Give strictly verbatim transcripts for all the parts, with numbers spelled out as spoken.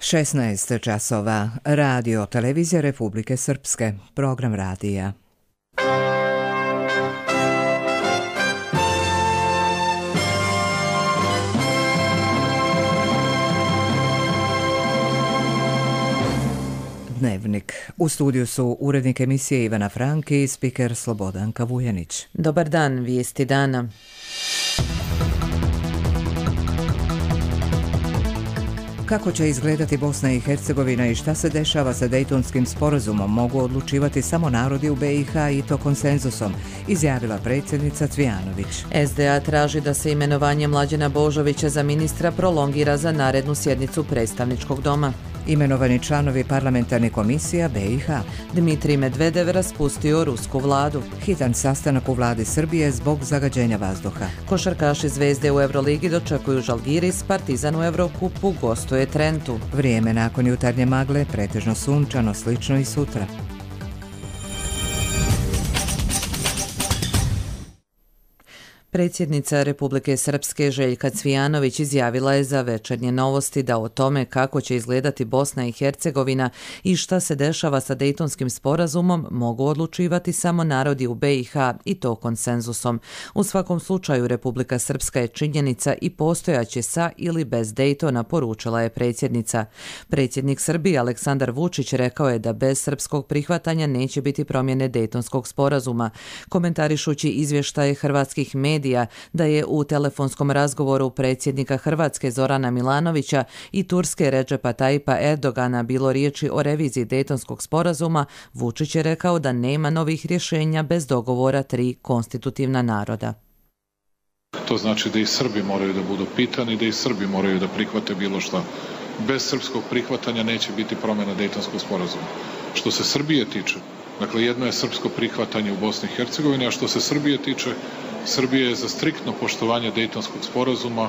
šesnaest časova. Radio Televizija Republike Srpske. Program radija. Dnevnik. U studiju su urednik emisije Ivana Franki i spiker Slobodanka Vujanić. Dobar dan, vijesti dana. Kako će izgledati Bosna i Hercegovina i šta se dešava sa Dejtonskim sporazumom mogu odlučivati samo narodi u B i H i to konsenzusom, izjavila predsjednica Cvijanović. S D A traži da se imenovanje Mlađena Božovića za ministra prolongira za narednu sjednicu predstavničkog doma. Imenovani članovi parlamentarnih komisija B i H. Dmitrij Medvedev raspustio rusku vladu. Hitan sastanak u vladi Srbije zbog zagađenja vazduha. Košarkaši Zvezde u Euroligi dočekuju Žalgiris, Partizan u Evrokupu gostuje Trentu. Vrijeme nakon jutarnje magle, pretežno sunčano, slično i sutra. Predsjednica Republike Srpske Željka Cvijanović izjavila je za Večernje novosti da o tome kako će izgledati Bosna i Hercegovina i šta se dešava sa Dejtonskim sporazumom mogu odlučivati samo narodi u B i H i to konsenzusom. U svakom slučaju Republika Srpska je činjenica i postojaće sa ili bez Dejtona, poručila je predsjednica. Predsjednik Srbije Aleksandar Vučić rekao je da bez srpskog prihvatanja neće biti promjene Dejtonskog sporazuma. Komentarišući izvještaje hrvatskih medija da je u telefonskom razgovoru predsjednika Hrvatske Zorana Milanovića i Turske Redžepa Tajipa Erdogana bilo riječi o reviziji Dejtonskog sporazuma, Vučić je rekao da nema novih rješenja bez dogovora tri konstitutivna naroda. To znači da i Srbi moraju da budu pitani, da i Srbi moraju da prihvate bilo šta. Bez srpskog prihvatanja neće biti promjena Dejtonskog sporazuma. Što se Srbije tiče, dakle jedno je srpsko prihvatanje u Bosni i Hercegovini, a što se Srbije tiče, Srbija je za striktno poštovanje Dejtonskog sporazuma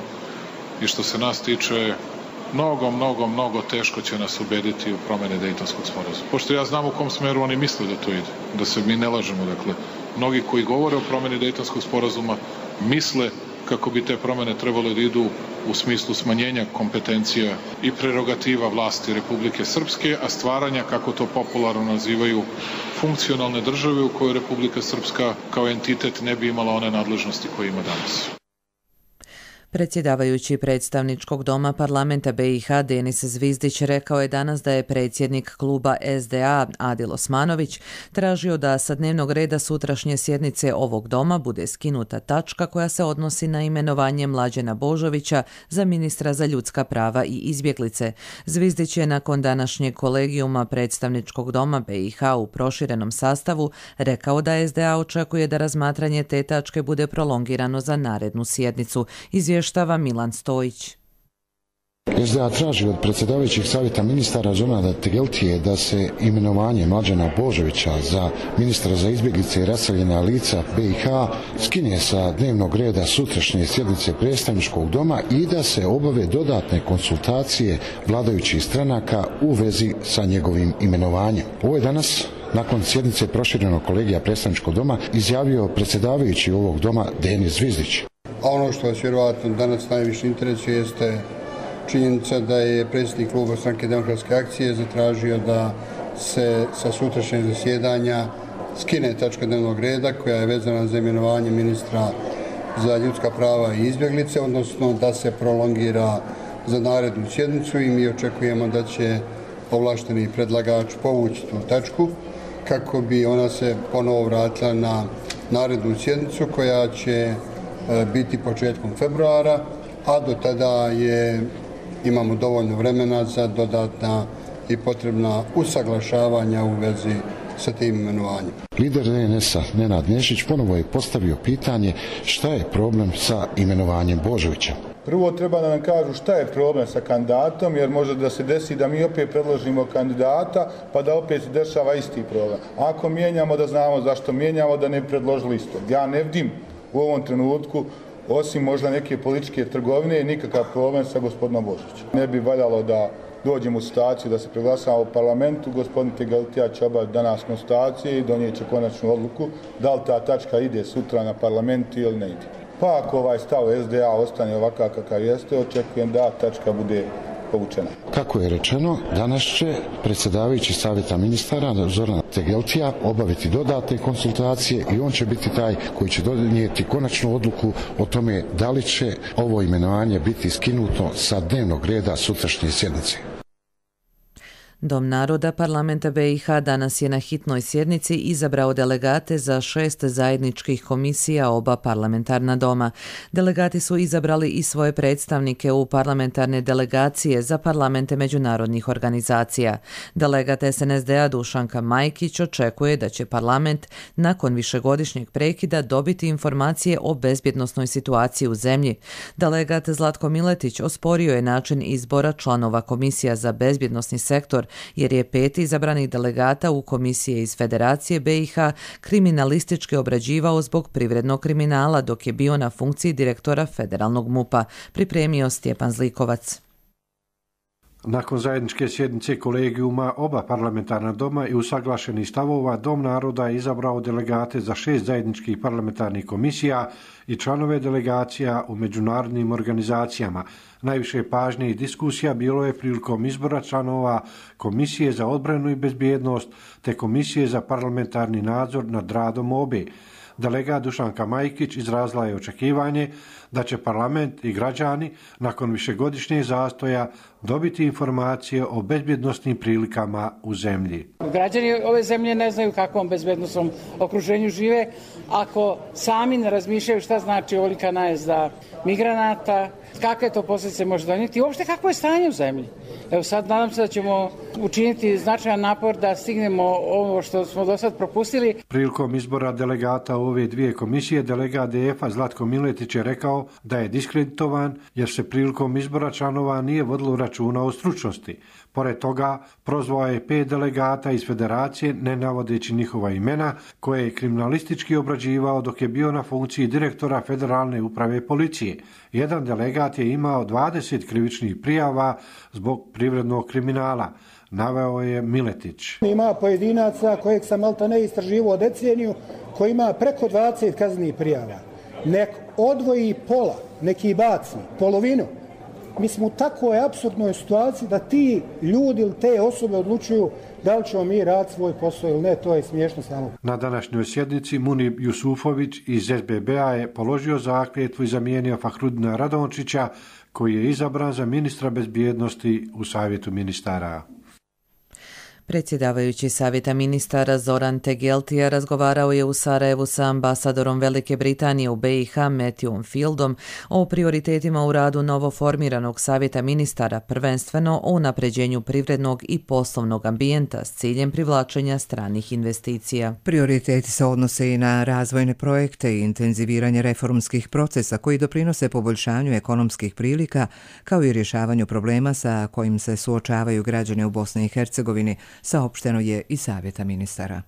i što se nas tiče, mnogo, mnogo, mnogo teško će nas ubediti u promjene Dejtonskog sporazuma. Pošto ja znam u kom smeru oni misle da to ide, da se mi ne lažemo, dakle, mnogi koji govore o promjeni Dejtonskog sporazuma misle kako bi te promjene trebalo da idu u smislu smanjenja kompetencija i prerogativa vlasti Republike Srpske, a stvaranja, kako to popularno nazivaju, funkcionalne države u kojoj Republika Srpska kao entitet ne bi imala one nadležnosti koje ima danas. Predsjedavajući predstavničkog doma parlamenta B i H Denis Zvizdić rekao je danas da je predsjednik kluba S D A Adil Osmanović tražio da sa dnevnog reda sutrašnje sjednice ovog doma bude skinuta tačka koja se odnosi na imenovanje Mlađena Božovića za ministra za ljudska prava i izbjeglice. Zvizdić je nakon današnjeg kolegijuma predstavničkog doma B i H u proširenom sastavu rekao da S D A očekuje da razmatranje te tačke bude prolongirano za narednu sjednicu. Izvještava Milan Stojić. S D A traži od predsjedavajućih savjeta ministara Zorana Tegeltije da se imenovanje Mlađena Božovića za ministra za izbjeglice i raseljena lica B i H skine sa dnevnog reda sutrašnje sjednice predstavničkog doma i da se obave dodatne konsultacije vladajućih stranaka u vezi sa njegovim imenovanjem. Ovo je danas nakon sjednice proširenog kolegija predstavničkog doma izjavio predsjedavajući ovog doma Denis Zvizdić. A ono što vas vjerovatno danas najviše interesuje jeste činjenica da je predsjednik kluba Stranke demokratske akcije zatražio da se sa sutrašnjeg zasjedanja skine tačka dnevnog reda koja je vezana za imenovanje ministra za ljudska prava i izbjeglice, odnosno da se prolongira za narednu sjednicu i mi očekujemo da će ovlašteni predlagač povući tu tačku kako bi ona se ponovo vratila na narednu sjednicu koja će biti početkom februara, a do tada je, imamo dovoljno vremena za dodatna i potrebna usaglašavanja u vezi sa tim imenovanjem. Lider D N S-a Nenad Nešić ponovo je postavio pitanje šta je problem sa imenovanjem Božovića. Prvo treba da nam kažu šta je problem sa kandidatom, jer može da se desi da mi opet predložimo kandidata, pa da opet se dešava isti problem. Ako mijenjamo, da znamo zašto mijenjamo, da ne bi predložili isto. Ja ne vidim u ovom trenutku, osim možda neke političke trgovine, nikakav problem sa gospodinom Božovićem. Ne bi valjalo da dođemo u situaciju da se preglasamo u parlamentu, gospodin Tegeltija će obaviti danas konstatacije i donijet će konačnu odluku da li ta tačka ide sutra na parlamentu ili ne ide. Pa ako ovaj stav S D A ostane ovakav kakav jeste, očekujem da tačka bude povučena. Kako je rečeno, danas će predsjedavajući savjeta ministara Zoran Tegeltija obaviti dodatne konsultacije i on će biti taj koji će donijeti konačnu odluku o tome da li će ovo imenovanje biti skinuto sa dnevnog reda sutrašnje sjednice. Dom naroda parlamenta be i ha danas je na hitnoj sjednici izabrao delegate za šest zajedničkih komisija oba parlamentarna doma. Delegati su izabrali i svoje predstavnike u parlamentarne delegacije za parlamente međunarodnih organizacija. Delegat es en es de a Dušanka Majkić očekuje da će parlament nakon višegodišnjeg prekida dobiti informacije o bezbjednosnoj situaciji u zemlji. Delegat Zlatko Miletić osporio je način izbora članova komisija za bezbjednosni sektor, jer je pet izabranih delegata u komisije iz Federacije be i ha kriminalistički obrađivao zbog privrednog kriminala dok je bio na funkciji direktora federalnog mupa, pripremio Stjepan Zlikovac. Nakon zajedničke sjednice kolegijuma oba parlamentarna doma i usaglašenih stavova, Dom naroda je izabrao delegate za šest zajedničkih parlamentarnih komisija i članove delegacija u međunarodnim organizacijama. Najviše pažnje i diskusija bilo je prilikom izbora članova Komisije za odbranu i bezbjednost te Komisije za parlamentarni nadzor nad radom obe. Delegat Dušanka Majkić izrazila je očekivanje da će parlament i građani nakon višegodišnjeg zastoja dobiti informacije o bezbjednosnim prilikama u zemlji. Građani ove zemlje ne znaju kakvom bezbjednosnom okruženju žive ako sami ne razmišljaju šta znači ovolika najezda migranata, kakve to posljedice može donijeti i uopšte kakvo je stanje u zemlji. Evo sad nadam se da ćemo učiniti značajan napor da stignemo ovo što smo do sad propustili. Prilikom izbora delegata u ove dvije komisije, delegat de ef a Zlatko Miletić je rekao da je diskreditovan jer se prilikom izbora članova nije vodilo računa o stručnosti. Pored toga, prozvao je pet delegata iz Federacije, ne navodeći njihova imena, koje je kriminalistički obrađivao dok je bio na funkciji direktora Federalne uprave policije. Jedan delegat je imao dvadeset krivičnih prijava zbog privrednog kriminala, naveo je Miletić. Ima pojedinaca kojeg sam malta ne istraživao deceniju, koji ima preko dvadeset kaznenih prijava. Nek odvoji pola, neki baci, polovinu. Mi smo u takvoj apsurdnoj situaciji da ti ljudi ili te osobe odlučuju da li ćemo mi raditi svoj posao ili ne, to je smiješno samo. Na današnjoj sjednici Munib Jusufović iz es be be a je položio zakletvu i zamijenio Fahrudina Radončića, koji je izabran za ministra bezbjednosti u Savjetu ministara. Predsjedavajući Savjeta ministara Zoran Tegeltija razgovarao je u Sarajevu sa ambasadorom Velike Britanije u be i ha Matthewom Fieldom o prioritetima u radu novoformiranog Savjeta ministara, prvenstveno o unapređenju privrednog i poslovnog ambijenta s ciljem privlačenja stranih investicija. Prioriteti se odnose i na razvojne projekte i intenziviranje reformskih procesa koji doprinose poboljšanju ekonomskih prilika, kao i rješavanju problema sa kojim se suočavaju građani u Bosni i Hercegovini, saopšteno je i Savjeta ministara.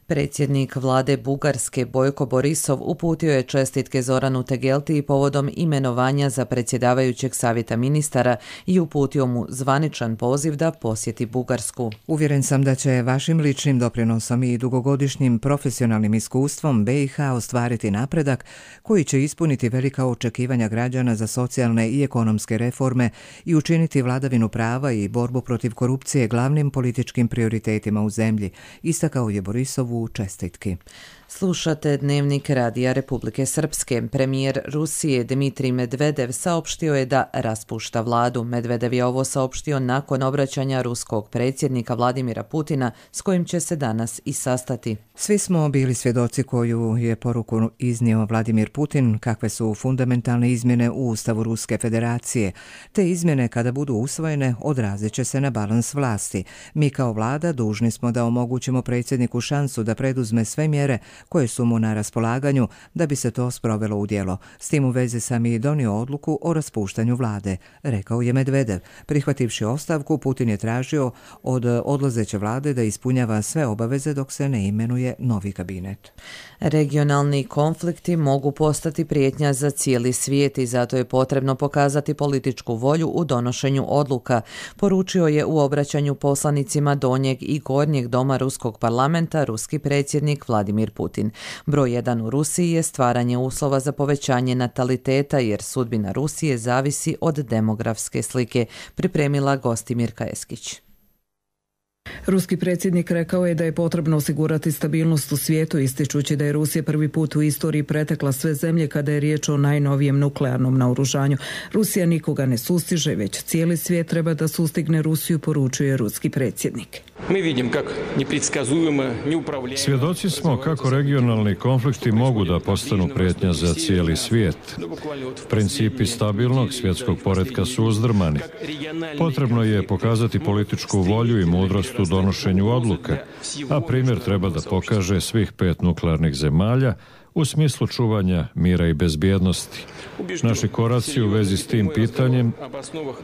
Predsjednik vlade Bugarske Bojko Borisov uputio je čestitke Zoranu Tegeltiji povodom imenovanja za predsjedavajućeg Savjeta ministara i uputio mu zvaničan poziv da posjeti Bugarsku. Uvjeren sam da će vašim ličnim doprinosom i dugogodišnjim profesionalnim iskustvom be i ha ostvariti napredak koji će ispuniti velika očekivanja građana za socijalne i ekonomske reforme i učiniti vladavinu prava i borbu protiv korupcije glavnim političkim prioritetima u zemlji, istakao je Borisov u čestitki. Slušate Dnevnik Radija Republike Srpske. Premijer Rusije Dmitrij Medvedev saopštio je da raspušta vladu. Medvedev je ovo saopštio nakon obraćanja ruskog predsjednika Vladimira Putina s kojim će se danas i sastati. Svi smo bili svjedoci koju je poruku iznio Vladimir Putin, kakve su fundamentalne izmjene u Ustavu Ruske federacije. Te izmjene kada budu usvojene odrazit će se na balans vlasti. Mi kao vlada dužni smo da omogućimo predsjedniku šansu da preduzme sve mjere koje su mu na raspolaganju da bi se to sprovelo u djelo. S tim u vezi sam i donio odluku o raspuštanju vlade, rekao je Medvedev. Prihvativši ostavku, Putin je tražio od odlazeće vlade da ispunjava sve obaveze dok se ne imenuje novi kabinet. Regionalni konflikti mogu postati prijetnja za cijeli svijet i zato je potrebno pokazati političku volju u donošenju odluka, poručio je u obraćanju poslanicima Donjeg i Gornjeg doma Ruskog parlamenta ruski predsjednik Vladimir Putin. Putin. Broj jedan u Rusiji je stvaranje uslova za povećanje nataliteta jer sudbina Rusije zavisi od demografske slike, pripremila Gostimirka Eskić. Ruski predsjednik rekao je da je potrebno osigurati stabilnost u svijetu, ističući da je Rusija prvi put u istoriji pretekla sve zemlje kada je riječ o najnovijem nuklearnom naoružanju. Rusija nikoga ne sustiže, već cijeli svijet treba da sustigne Rusiju, poručuje ruski predsjednik. Svjedoci smo kako regionalni konflikti mogu da postanu prijetnja za cijeli svijet. Principi stabilnog svjetskog poretka su uzdrmani. Potrebno je pokazati političku volju i mudrost u donošenju odluka, a primjer treba da pokaže svih pet nuklearnih zemalja u smislu čuvanja mira i bezbjednosti. Naši koraci u vezi s tim pitanjem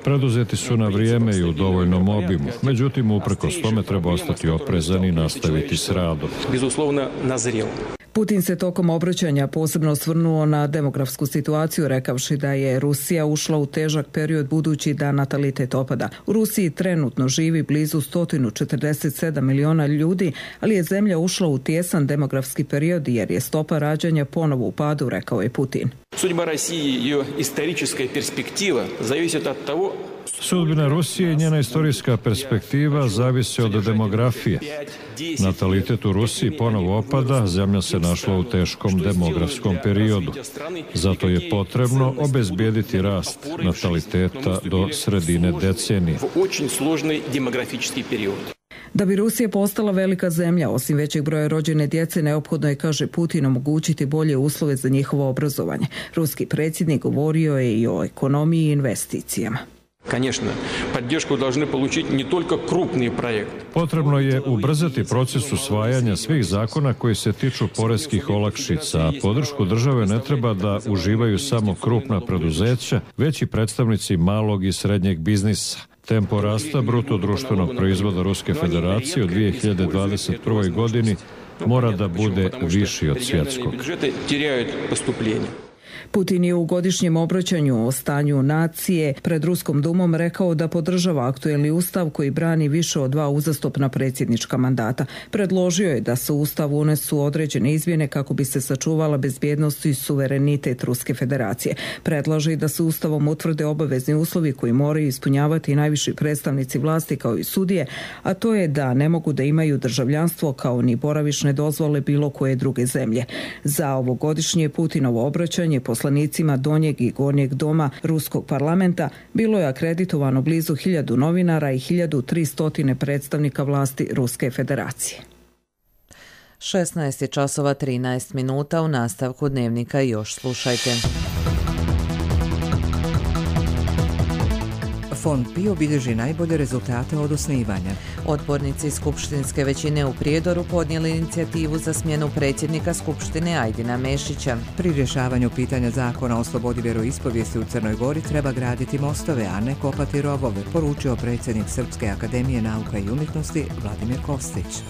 preduzeti su na vrijeme i u dovoljnom obimu. Međutim, uprkos tome treba ostati oprezan i nastaviti s radom. Putin se tokom obraćanja posebno osvrnuo na demografsku situaciju, rekavši da je Rusija ušla u težak period budući da natalitet opada. U Rusiji trenutno živi blizu sto četrdeset sedam miliona ljudi, ali je zemlja ušla u tijesan demografski period jer je stopa rađanja ponovo u padu, rekao je Putin. Sudbina Rusije i njena istorijska perspektiva zavisi od demografije. Natalitet u Rusiji ponovo opada, zemlja se našla u teškom demografskom periodu. Zato je potrebno obezbijediti rast nataliteta do sredine decenije. Da bi Rusija postala velika zemlja, osim većeg broja rođene djece, neophodno je, kaže Putin, omogućiti bolje uslove za njihovo obrazovanje. Ruski predsjednik govorio je i o ekonomiji i investicijama. Potrebno je ubrzati proces usvajanja svih zakona koji se tiču poreskih olakšica, a podršku države ne treba da uživaju samo krupna preduzeća, već i predstavnici malog i srednjeg biznisa. Tempo rasta bruto društvenog proizvoda Ruske federacije u dvije hiljade dvadeset prvoj godini mora da bude viši od svjetskog. Putin je u godišnjem obraćanju o stanju nacije pred Ruskom dumom rekao da podržava aktuelni ustav koji brani više od dva uzastopna predsjednička mandata. Predložio je da se u ustav unesu određene izmjene kako bi se sačuvala bezbjednost i suverenitet Ruske federacije. Predlaže i da se ustavom utvrde obavezni uslovi koji moraju ispunjavati najviši predstavnici vlasti kao i sudije, a to je da ne mogu da imaju državljanstvo kao ni boravišne dozvole bilo koje druge zemlje. Za ovogodišnje Putinovo obraćanje poslanicima donjeg i gornjeg doma Ruskog parlamenta bilo je akreditovano blizu hiljadu novinara i hiljadu tristo predstavnika vlasti Ruske federacije. šesnaest je časova trinaest minuta, u nastavku dnevnika još slušajte. Fond PIO bilježi najbolje rezultate od osnivanja. Odbornici skupštinske većine u Prijedoru podnijeli inicijativu za smjenu predsjednika Skupštine Ajdina Mešića. Pri rješavanju pitanja zakona o slobodi vjeroispovijesti u Crnoj Gori treba graditi mostove, a ne kopati rovove, poručio predsjednik Srpske akademije nauka i umjetnosti Vladimir Kostić.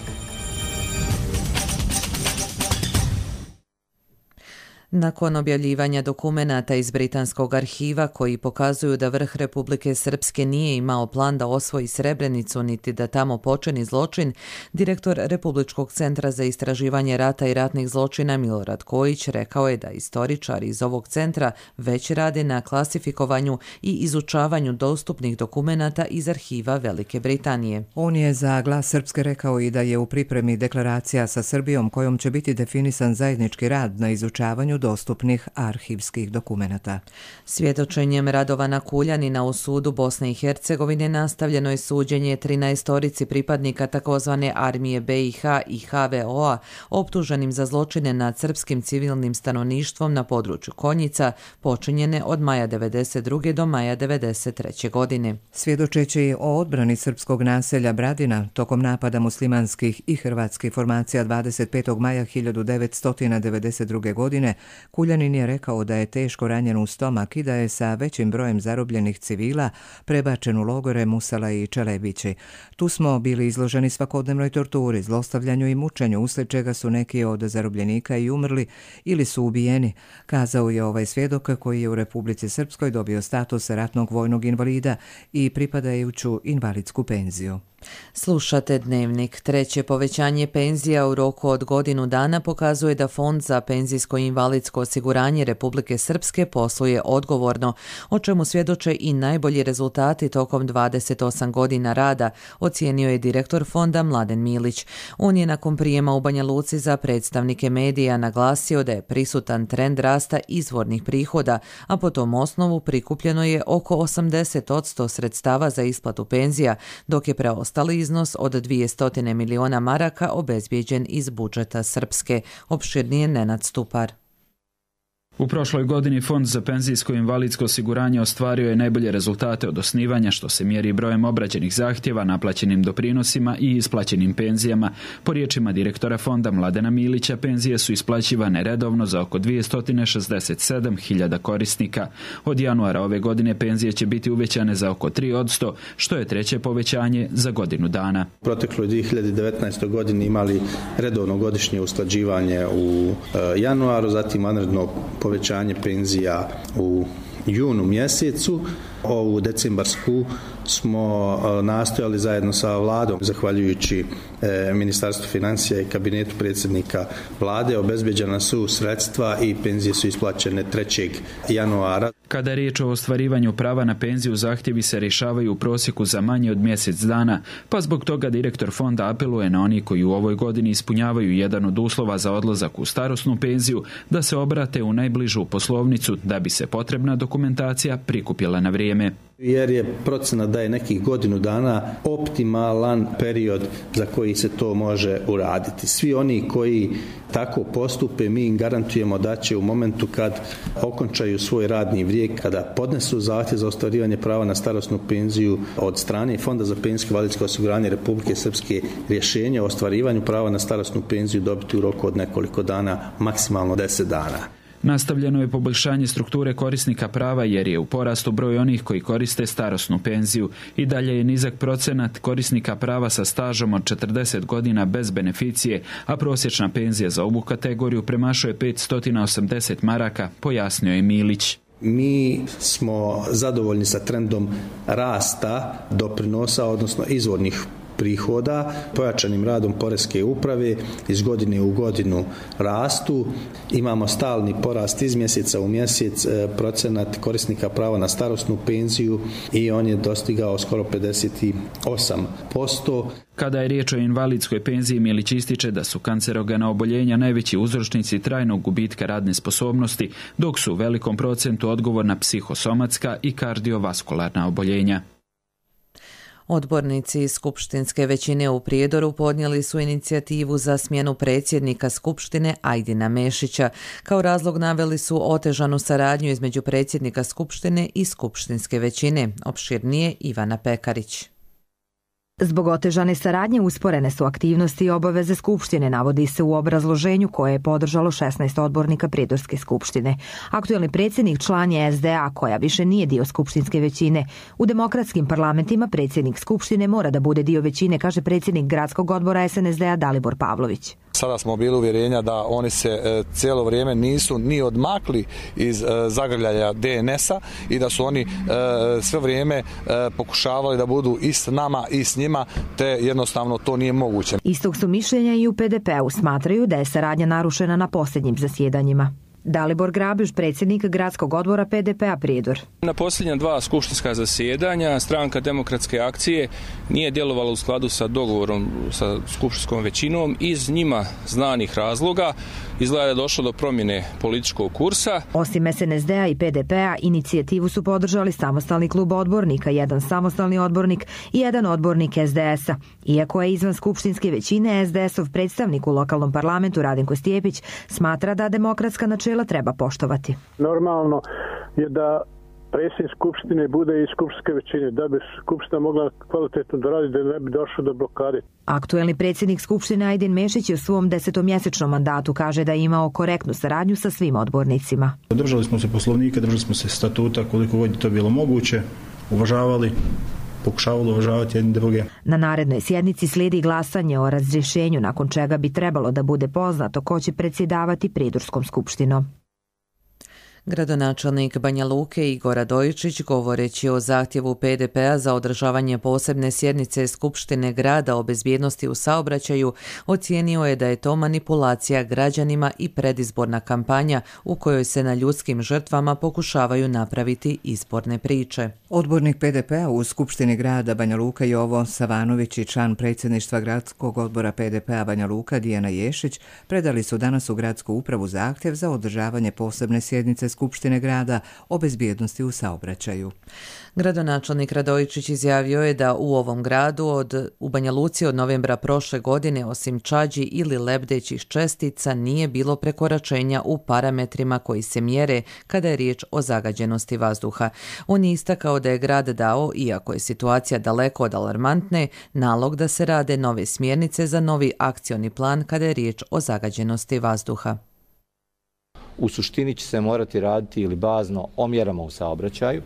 Nakon objavljivanja dokumenata iz Britanskog arhiva koji pokazuju da vrh Republike Srpske nije imao plan da osvoji Srebrenicu niti da tamo počini zločin, direktor Republičkog centra za istraživanje rata i ratnih zločina Milorad Kojić rekao je da istoričari iz ovog centra već rade na klasifikovanju i izučavanju dostupnih dokumenata iz arhiva Velike Britanije. On je za Glas Srpske rekao i da je u pripremi deklaracija sa Srbijom kojom će biti definisan zajednički rad na izučavanju dostupnih arhivskih dokumenata. Svjedočenjem Radovana Kuljanina u sudu Bosne i Hercegovine nastavljeno je suđenje trinaestorici pripadnika takozvane armije B i H i H V O-a optuženim za zločine nad srpskim civilnim stanovništvom na području Konjica počinjene od maja devedeset druge do maja devedeset treće godine. Svjedočeći o odbrani srpskog naselja Bradina tokom napada muslimanskih i hrvatskih formacija dvadeset petog maja hiljadu devetsto devedeset druge godine, Kuljanin je rekao da je teško ranjen u stomak i da je sa većim brojem zarobljenih civila prebačen u logore Musala i Čelebići. Tu smo bili izloženi svakodnevnoj torturi, zlostavljanju i mučenju, uslijed čega su neki od zarobljenika i umrli ili su ubijeni, kazao je ovaj svjedok koji je u Republici Srpskoj dobio status ratnog vojnog invalida i pripadajuću invalidsku penziju. Slušate Dnevnik. Treće povećanje penzija u roku od godinu dana pokazuje da Fond za penzijsko i invalidsko osiguranje Republike Srpske posluje odgovorno, o čemu svjedoče i najbolji rezultati tokom dvadeset osam godina rada, ocijenio je direktor fonda Mladen Milić. On je nakon prijema u Banja Luci za predstavnike medija naglasio da je prisutan trend rasta izvornih prihoda, a po tom osnovu prikupljeno je oko osamdeset posto sredstava za isplatu penzija, dok je preostali iznos od dvjesto miliona maraka obezbijeđen iz budžeta Srpske. Opširnije Nenad Stupar. U prošloj godini Fond za penzijsko i invalidsko osiguranje ostvario je najbolje rezultate od osnivanja, što se mjeri brojem obrađenih zahtjeva, naplaćenim doprinosima i isplaćenim penzijama. Po riječima direktora fonda Mladena Milića, penzije su isplaćivane redovno za oko dvjesto šezdeset sedam hiljada korisnika. Od januara ove godine penzije će biti uvećane za oko tri posto, što je treće povećanje za godinu dana. U protekloj dvije hiljade devetnaestoj godini imali redovno godišnje usklađivanje u januaru, zatim vanredno povećanje penzija u junu mjesecu. Ovu decembarsku smo nastojali zajedno sa vladom, zahvaljujući e, Ministarstvu financija i kabinetu predsjednika vlade, obezbeđena su sredstva i penzije su isplaćene trećeg januara. Kada je riječ o ostvarivanju prava na penziju, zahtjevi se rješavaju u prosjeku za manje od mjesec dana, pa zbog toga direktor fonda apeluje na oni koji u ovoj godini ispunjavaju jedan od uslova za odlazak u starosnu penziju da se obrate u najbližu poslovnicu da bi se potrebna dokumentacija prikupila na vrijeme. Jer je procena da je nekih godinu dana optimalan period za koji se to može uraditi. Svi oni koji tako postupe, mi im garantujemo da će u momentu kad okončaju svoj radni vijek, kada podnesu zahtjev za ostvarivanje prava na starosnu penziju od strane Fonda za penzijsko i invalidsko osiguranje Republike Srpske, rješenje o ostvarivanju prava na starosnu penziju dobiti u roku od nekoliko dana, maksimalno deset dana. Nastavljeno je poboljšanje strukture korisnika prava jer je u porastu broj onih koji koriste starosnu penziju. I dalje je nizak procenat korisnika prava sa stažom od četrdeset godina bez beneficije, a prosječna penzija za ovu kategoriju premašuje petsto osamdeset maraka, pojasnio je Milić. Mi smo zadovoljni sa trendom rasta doprinosa, odnosno izvornih prihoda, pojačanim radom poreske uprave iz godine u godinu rastu. Imamo stalni porast iz mjeseca u mjesec procenat korisnika prava na starosnu penziju i on je dostigao skoro pedeset osam posto. Kada je riječ o invalidskoj penziji, Milić ističe da su kancerogena oboljenja najveći uzročnici trajnog gubitka radne sposobnosti, dok su u velikom procentu odgovorna psihosomatska i kardiovaskularna oboljenja. Odbornici iz skupštinske većine u Prijedoru podnijeli su inicijativu za smjenu predsjednika Skupštine Ajdina Mešića. Kao razlog naveli su otežanu saradnju između predsjednika Skupštine i skupštinske većine. Opširnije Ivana Pekarić. Zbog otežane saradnje usporene su aktivnosti i obaveze Skupštine, navodi se u obrazloženju koje je podržalo šesnaest odbornika Prijedorske skupštine. Aktuelni predsjednik član je S D A, koja više nije dio skupštinske većine. U demokratskim parlamentima predsjednik Skupštine mora da bude dio većine, kaže predsjednik gradskog odbora S N S D A Dalibor Pavlović. Sada smo bili uvjerenja da oni se e, cijelo vrijeme nisu ni odmakli iz e, zagrljaja D N S-a i da su oni e, sve vrijeme e, pokušavali da budu i s nama i s njima, te jednostavno to nije moguće. Istog su mišljenja i u P D P-u, smatraju da je saradnja narušena na posljednjim zasjedanjima. Dalibor Grabiš, predsjednik gradskog odbora P D P-a Prijedor. Na posljednja dva skupštinska zasjedanja stranka Demokratske akcije nije djelovala u skladu sa dogovorom sa skupštinskom većinom iz njima znanih razloga. Izgleda je došlo do promjene političkog kursa. Osim S N S D A i P D P-a, inicijativu su podržali samostalni klub odbornika, jedan samostalni odbornik i jedan odbornik S D S-a. Iako je izvan skupštinske većine, S D S-ov predstavnik u lokalnom parlamentu Radenko Stjepić smatra da demokratska načela treba poštovati. Normalno je da predsjednik skupštine bude iz skupštinske većine, da bi skupština mogla kvalitetno da radi, da ne bi došlo do blokade. Aktuelni predsjednik skupštine Ajdin Mešić u svom desetomjesečnom mandatu kaže da je imao korektnu saradnju sa svim odbornicima. Držali smo se poslovnika, držali smo se statuta koliko god je to bilo moguće, uvažavali, pokušavali uvažavati jedni druge. Na narednoj sjednici slijedi glasanje o razrješenju, nakon čega bi trebalo da bude poznato ko će predsjedavati Prijedorskom skupštinom. Gradonačelnik Banja Luke Igor Radojičić, govoreći o zahtjevu P D P-a za održavanje posebne sjednice Skupštine grada o bezbjednosti u saobraćaju, ocijenio je da je to manipulacija građanima i predizborna kampanja u kojoj se na ljudskim žrtvama pokušavaju napraviti izborne priče. Odbornik P D P-a u Skupštini grada Banja Luka Jovo Savanović i član predsjedništva gradskog odbora P D P-a Banja Luka Dijana Ješić predali su danas u gradsku upravu zahtjev za održavanje posebne sjednice Skupštine grada o bezbjednosti u saobraćaju. Gradonačelnik Radojičić izjavio je da u ovom gradu od, u Banja Luci od novembra prošle godine osim čađi ili lebdećih čestica nije bilo prekoračenja u parametrima koji se mjere kada je riječ o zagađenosti vazduha. On je istakao da je grad dao, iako je situacija daleko od alarmantne, nalog da se rade nove smjernice za novi akcioni plan kada je riječ o zagađenosti vazduha. U suštini će se morati raditi ili bazno o mjerama u saobraćaju,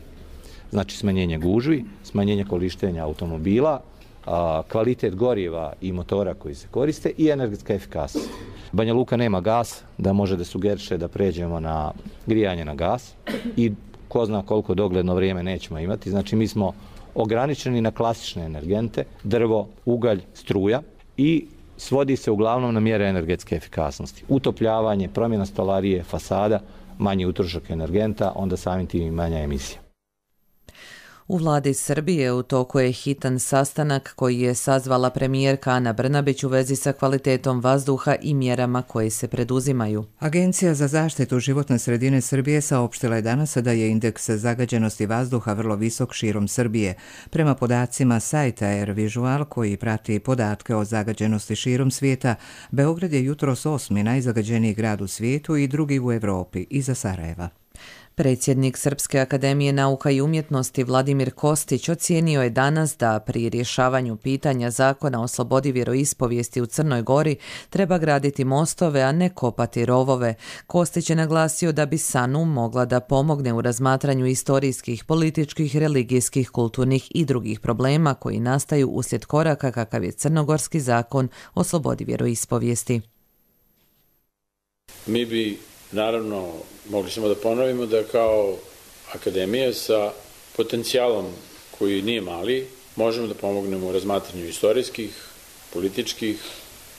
znači smanjenje gužvi, smanjenje korištenja automobila, kvalitet goriva i motora koji se koriste i energetska efikasnost. Banja Luka nema gas, da može da sugeriše da pređemo na grijanje na gas i ko zna koliko dogledno vrijeme nećemo imati. Znači mi smo ograničeni na klasične energente, drvo, ugalj, struja i svodi se uglavnom na mjere energetske efikasnosti. Utopljavanje, promjena stolarije, fasada, manji utrošak energenta, onda samim tim i manja emisija. U vladi Srbije u toku je hitan sastanak koji je sazvala premijerka Ana Brnabić u vezi sa kvalitetom vazduha i mjerama koje se preduzimaju. Agencija za zaštitu životne sredine Srbije saopštila je danas da je indeks zagađenosti vazduha vrlo visok širom Srbije. Prema podacima sajta Air Visual koji prati podatke o zagađenosti širom svijeta, Beograd je jutros osmi najzagađeniji grad u svijetu i drugi u Europi iza Sarajeva. Predsjednik Srpske akademije nauka i umjetnosti Vladimir Kostić ocijenio je danas da pri rješavanju pitanja zakona o slobodi vjeroispovijesti u Crnoj Gori treba graditi mostove, a ne kopati rovove. Kostić je naglasio da bi S A N U mogla da pomogne u razmatranju istorijskih, političkih, religijskih, kulturnih i drugih problema koji nastaju uslijed koraka kakav je crnogorski zakon o slobodi vjeroispovijesti. Mi bi naravno mogli smo da ponovimo da kao akademija sa potencijalom koji nije mali možemo da pomognemo u razmatranju istorijskih, političkih,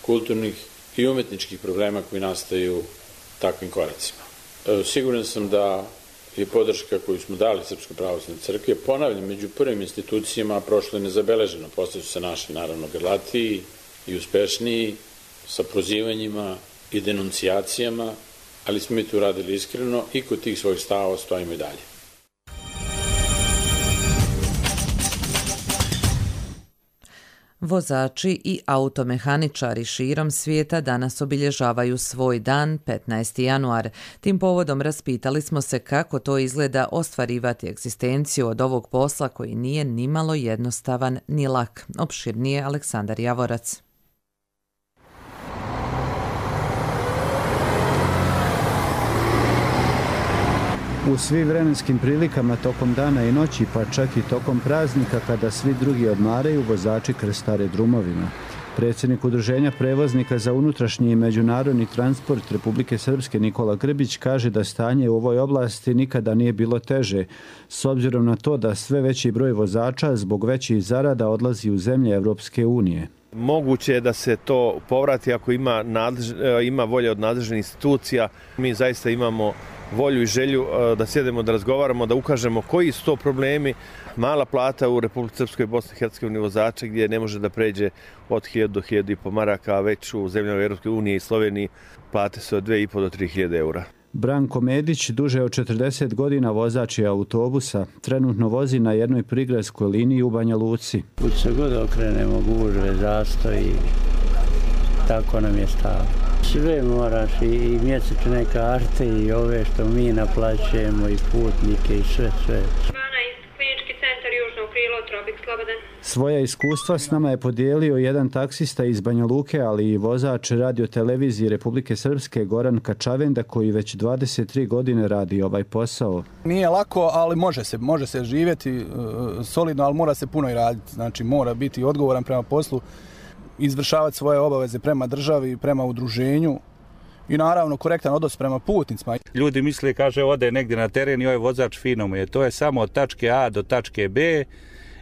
kulturnih i umjetničkih problema koji nastaju takvim koracima. Siguran sam da je podrška koju smo dali Srpskoj pravoslavnoj crkvi, ponavljam, među prvim institucijama prošlo je nezabeleženo. Posle su se našli naravno grlatiji i uspešniji sa prozivanjima i denuncijacijama, ali smo mi tu radili iskreno i kod tih svojih stavova stojimo i dalje. Vozači i automehaničari širom svijeta danas obilježavaju svoj dan, petnaesti januar. Tim povodom raspitali smo se kako to izgleda ostvarivati egzistenciju od ovog posla koji nije nimalo jednostavan ni lak. Opširnije Aleksandar Javorac. U svim vremenskim prilikama tokom dana i noći, pa čak i tokom praznika kada svi drugi odmaraju, vozači krstare drumovima. Predsjednik Udruženja prevoznika za unutrašnji i međunarodni transport Republike Srpske Nikola Grbić kaže da stanje u ovoj oblasti nikada nije bilo teže, s obzirom na to da sve veći broj vozača zbog većih zarada odlazi u zemlje Evropske unije. Moguće je da se to povrati ako ima, nadlež, ima volje od nadležnih institucija. Mi zaista imamo volju i želju da sjedemo, da razgovaramo, da ukažemo koji su to problemi. Mala plata u Republici Srpskoj i Bosni i Hercegovini vozača gdje ne može da pređe od hiljadu do hiljadu i po maraka, a već u zemljama Europske unije i Sloveniji plate su od dve i po do tri hiljade eura. Branko Medić, duže od četrdeset godina vozač je autobusa, trenutno vozi na jednoj prigradskoj liniji u Banja Luci. Kud se god okrenemo, gužve, zastoji, tako nam je stalo. Sve moraš, i mjesečne karte i ove što mi naplaćujemo i putnike i sve, sve. Klinički centar Južno krilo, Trobik slobodan. Svoja iskustva s nama je podijelio jedan taksista iz Banja Luke, ali i vozač radiotelevizije Republike Srpske Goran Kačavenda koji već dvadeset tri godine radi ovaj posao. Nije lako, ali može se, može se živjeti uh, solidno, ali mora se puno i raditi. Znači mora biti odgovoran prema poslu, izvršavati svoje obaveze prema državi, prema udruženju i naravno korektan odnos prema putnicima. Ljudi misle, kaže, ode negdje na teren i ovaj vozač fino mu je. To je samo od tačke A do tačke B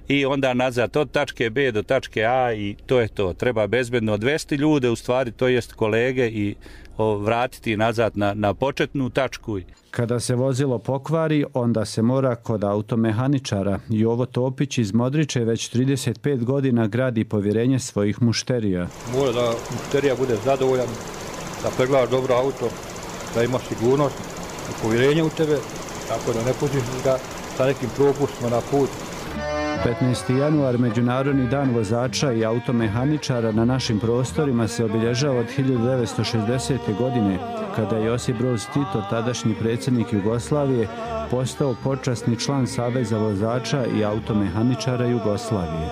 i onda nazad od tačke B do tačke A i to je to. Treba bezbedno odvesti ljude, u stvari to jest kolege i o, vratiti nazad na, na početnu tačku. Kada se vozilo pokvari, onda se mora kod automehaničara. Jovo Topić iz Modriče već trideset pet godina gradi povjerenje svojih mušterija. Mora da mušterija bude zadovoljan, da pregledaš dobro auto, da ima sigurnost i povjerenje u tebe, tako da ne pustiš ga sa nekim propustima na put. petnaesti januar, Međunarodni dan vozača i automehaničara na našim prostorima se obilježava od hiljadu devetsto šezdesete. godine, kada je Josip Broz Tito, tadašnji predsjednik Jugoslavije, postao počasni član Saveza vozača i automehaničara Jugoslavije.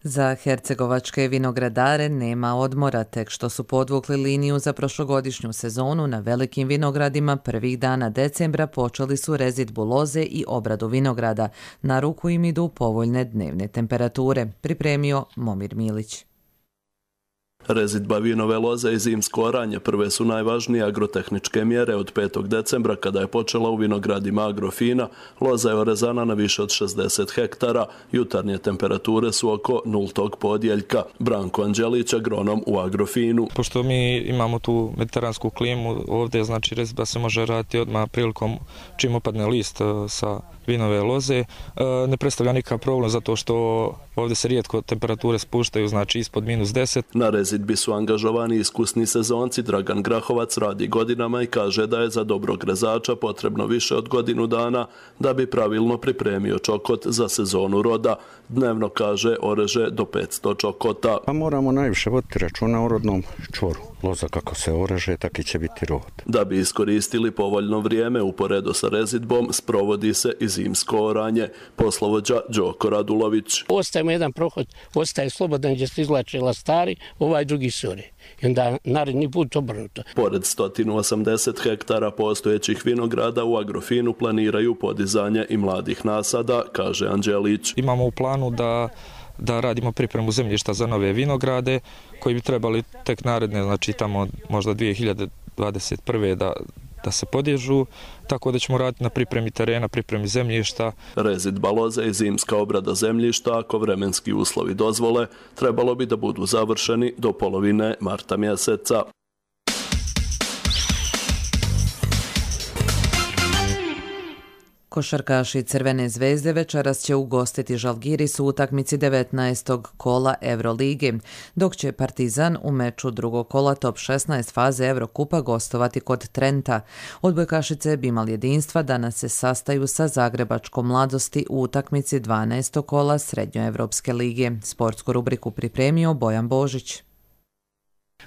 Za hercegovačke vinogradare nema odmora, tek što su podvukli liniju za prošlogodišnju sezonu na velikim vinogradima prvih dana decembra počeli su rezidbu loze i obradu vinograda. Na ruku im idu povoljne dnevne temperature, pripremio Momir Milić. Rezidba vinove loze i zimsko oranje prve su najvažnije agrotehničke mjere od petog decembra kada je počela u vinogradima Agrofina. Loza je orezana na više od šezdeset hektara. Jutarnje temperature su oko nultog podjeljka. Branko Anđelić, agronom u Agrofinu. Pošto mi imamo tu mediteransku klimu, ovdje znači rezidba se može raditi odmah prilikom čim opadne list sa vinove loze. Ne predstavlja nikakav problem zato što ovdje se rijetko temperature spuštaju, znači ispod minus deset. Na rezidbi su angažovani iskusni sezonci. Dragan Grahovac radi godinama i kaže da je za dobrog rezača potrebno više od godinu dana da bi pravilno pripremio čokot za sezonu roda. Dnevno, kaže, oreže do petsto čokota. Pa moramo najviše voditi računa o rodnom čvoru. Loza kako se oreže, tako i će biti rod. Da bi iskoristili povoljno vrijeme uporedo sa rezidbom, sprovodi se i zimsko oranje. Poslovođa Đoko Radulović. Ostajemo jedan prohod, ostaje slobodan gdje se izlače lastari, ovaj drugi sore. I onda naredni put obrnuto. Pored sto osamdeset hektara postojećih vinograda u Agrofinu planiraju podizanje i mladih nasada, kaže Anđelić. Imamo u planu da da radimo pripremu zemljišta za nove vinograde koji bi trebali tek naredne, znači tamo možda dvije hiljade dvadeset prve da da se podižu, tako da ćemo raditi na pripremi terena, pripremi zemljišta. Rezidba loze i zimska obrada zemljišta, ako vremenski uslovi dozvole, trebalo bi da budu završeni do polovine marta mjeseca. Košarkaši Crvene zvezde večeras će ugostiti Žalgiris u utakmici devetnaestog kola Eurolige, dok će Partizan u meču drugog kola top šesnaest faze Evrokupa gostovati kod Trenta. Odbojkašice Bimal jedinstva danas se sastaju sa Zagrebačkom Mladosti u utakmici dvanaestog kola Srednjoevropske lige. Sportsku rubriku pripremio Bojan Božić.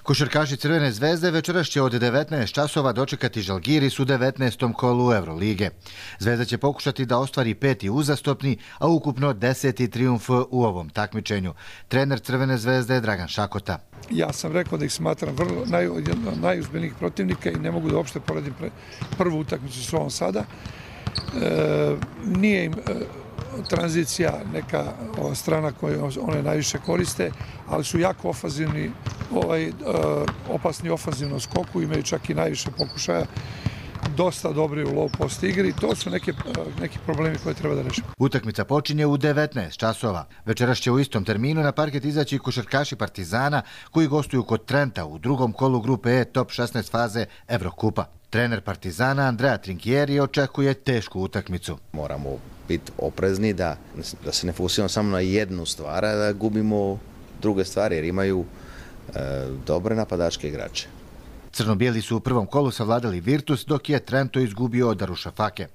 Košarkaši Crvene zvezde večeras će od devetnaest časova dočekati Žalgiris u devetnaestom kolu Evrolige. Zvezda će pokušati da ostvari peti uzastopni, a ukupno deseti trijumf u ovom takmičenju. Trener Crvene zvezde je Dragan Šakota. Ja sam rekao da ih smatram vrlo naj, jedno od najuzbiljnijih protivnika i ne mogu da uopšte poredim prvu utakmicu s ovom sada. E, nije im e, tranzicija neka ova strana koju one najviše koriste, ali su jako ofanzivni, ovaj, opasni ofanzivno skoku, imaju čak i najviše pokušaja, dosta dobri u low post igri. To su neke, neki problemi koje treba da rešimo. Utakmica počinje u devetnaest časova. Večeras će u istom terminu na parket izaći košarkaši Partizana koji gostuju kod Trenta u drugom kolu grupe E top šesnaest faze Evrokupa. Trener Partizana Andrea Trinkieri očekuje tešku utakmicu. Moramo biti oprezni da, da se ne fokusiramo samo na jednu stvar, a da gubimo druge stvari jer imaju e, dobre napadačke igrače. Crno-bijeli su u prvom kolu savladali Virtus, dok je Trento izgubio od Darušafake.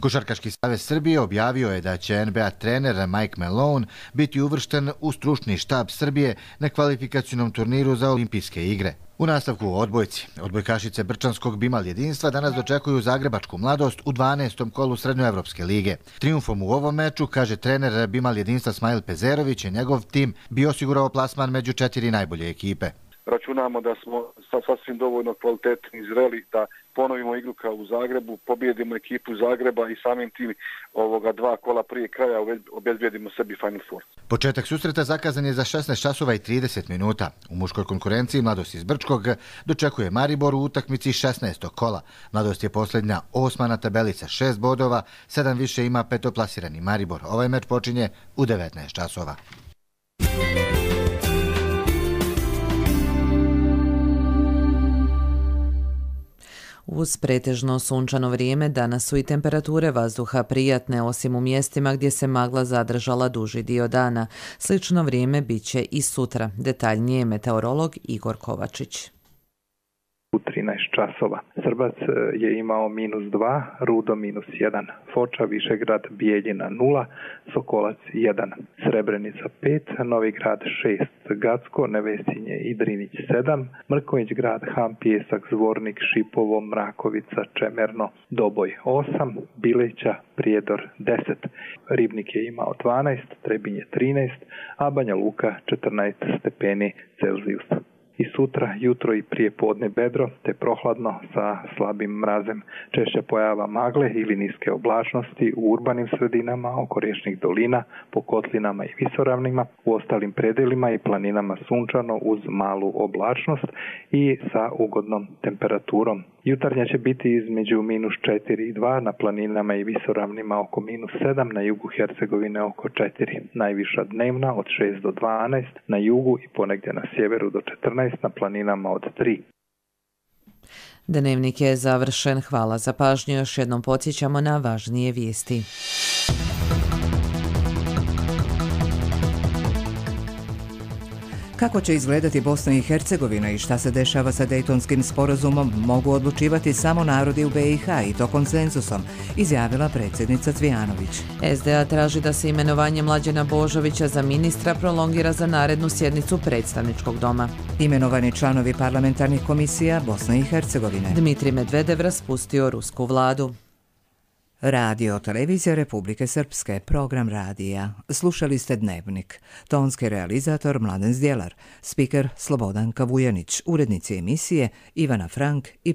Košarkaški savez Srbije objavio je da će N B A trener Mike Malone biti uvršten u stručni štab Srbije na kvalifikacionom turniru za olimpijske igre. U nastavku o odbojci, odbojkašice Brčanskog Bimal jedinstva danas dočekuju Zagrebačku Mladost u dvanaestom kolu Srednjoevropske lige. Triumfom u ovom meču, kaže trener Bimal jedinstva Smajl Pezerović, je njegov tim bio osigurao plasman među četiri najbolje ekipe. računamo da smo sasvim dovoljno kvalitetni i zreli da ponovimo igru kao u Zagrebu, pobjedimo ekipu Zagreba i samim tim ovoga dva kola prije kraja obezbijedimo sebi Final Four. Početak susreta zakazan je za šesnaest časova i trideset minuta. U muškoj konkurenciji Mladost iz Brčkog dočekuje Maribor u utakmici šesnaestog kola. Mladost je posljednja osma na tabeli sa šest bodova, sedam više ima petoplasirani Maribor. Ovaj meč počinje u devetnaest časova. Uz pretežno sunčano vrijeme danas su i temperature vazduha prijatne, osim u mjestima gdje se magla zadržala duži dio dana. Slično vrijeme bit će i sutra. Detaljnije meteorolog Igor Kovačić. U trinaest časova. Srbac je imao minus dva, Rudo minus jedan, Foča, Višegrad, Bijeljina nula, Sokolac jedan, Srebrenica pet, Novi Grad šest, Gacko, Nevesinje i Drinić sedam, Mrkonjić grad, Ham, Pijesak, Zvornik, Šipovo, Mrakovica, Čemerno, Doboj osam, Bileća, Prijedor deset, Ribnik je imao dvanaest, Trebinje trinaest, a Banja Luka četrnaest stepeni Celzijusa. I sutra, jutro i prije podne bedro, te prohladno sa slabim mrazem. Češća pojava magle ili niske oblačnosti u urbanim sredinama oko riječnih dolina, po kotlinama i visoravnima, u ostalim predelima i planinama sunčano uz malu oblačnost i sa ugodnom temperaturom. Jutarnja će biti između minus četiri i dva, na planinama i visoravnima oko minus sedam, na jugu Hercegovine oko četiri. Najviša dnevna od šest do dvanaest, na jugu i ponegdje na sjeveru do četrnaest, na planinama od tri. Dnevnik je završen. Hvala za pažnju. Još jednom podsjećamo na važnije vijesti. Kako će izgledati Bosna i Hercegovina i šta se dešava sa Dejtonskim sporazumom mogu odlučivati samo narodi u be i ha i to konsenzusom, izjavila predsjednica Cvijanović. es de a traži da se imenovanje Mlađena Božovića za ministra prolongira za narednu sjednicu predstavničkog doma. Imenovani članovi parlamentarnih komisija Bosne i Hercegovine. Dmitrij Medvedev raspustio rusku vladu. Radio Televizija Republike Srpske, program radija. Slušali ste Dnevnik. Tonski realizator Mladen Zdjelar, spiker Slobodan Kavujanić, urednici emisije Ivana Frank i